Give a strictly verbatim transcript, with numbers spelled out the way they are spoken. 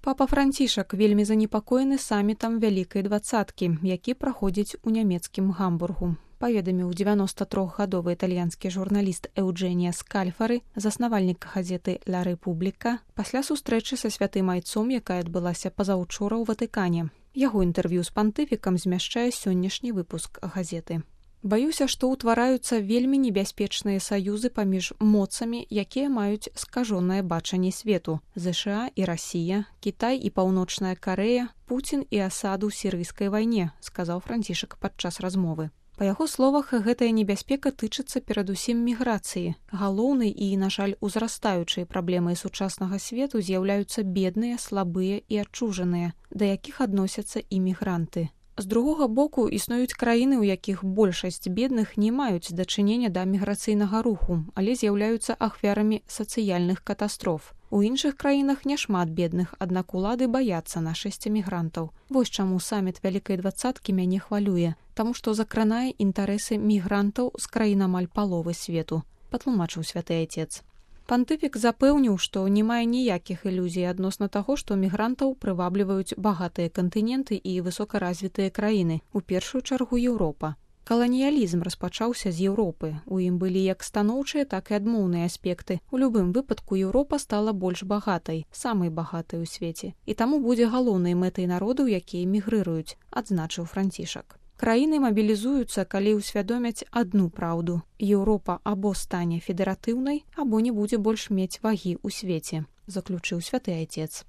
Папа Францішак вельмі занепакоены самітам Вялікай дваццаткі, які праходзіць у нямецкім Гамбургу. Паведаміў дзевяноста трохгадовы італьянскі журналіст Эўджэнія Скальфары, заснавальнік газеты «Ла Рэпубліка», пасля сустрэчы са святым айцом, якая адбылася пазаўчора ў Ватыкане. Яго інтэрв'ю з пантыфікам змяшчае сённяшні выпуск газеты. Баюся, што ўтвараюцца вельмі небяспечныя саюзы паміж моцамі, якія маюць скажонае бачанне свету. ЗША і Расія, Кітай і Паўночная Карэя, Пуцін і Асад у сірыйскай вайне, сказаў Францішак падчас размовы. Па яго словах, гэтая небяспека тычыцца перадусім міграцыі. Галоўнай і, на жаль, узрастаючай праблемай сучаснага свету з'яўляюцца бедныя, слабыя і адчужаныя, да якіх адносяцца і мігранты. З другога боку, існуюць краіны, у якіх большасць бедных не маюць дачынення да міграцыйнага руху, але з'яўляюцца ахвярамі сацыяльных катастроф. У іншых краінах няшмат бедных, аднак улады баяцца нашасці мігрантаў. Вось чаму саміт Вялікай дваццаткі мяне хвалюе, таму што закранае інтарэсы мігрантаў з краін амаль паловы свету, патлумачыў святы айцец. Пантыфік запэўніў, што не мае ніякіх ілюзій адносна таго, што мігрантаў прывабліваюць багатыя кантыненты і высокаразвітыя краіны, у першую чаргу Еўропа. Каланіялізм распачаўся з Еўропы. У ім былі як станоўчыя, так і адмоўныя аспекты. У любым выпадку Еўропа стала больш багатай, самай багатай у свеце. І таму будзе галоўнай мэтай народаў, якія мігрыруюць, адзначыў Францішак. Краіны мабілізуюцца, калі ўсвядомяць адну праўду. Еўропа або стане федэратыўнай, або не будзе больш мець вагі ў свеце, заключыў святы айцец.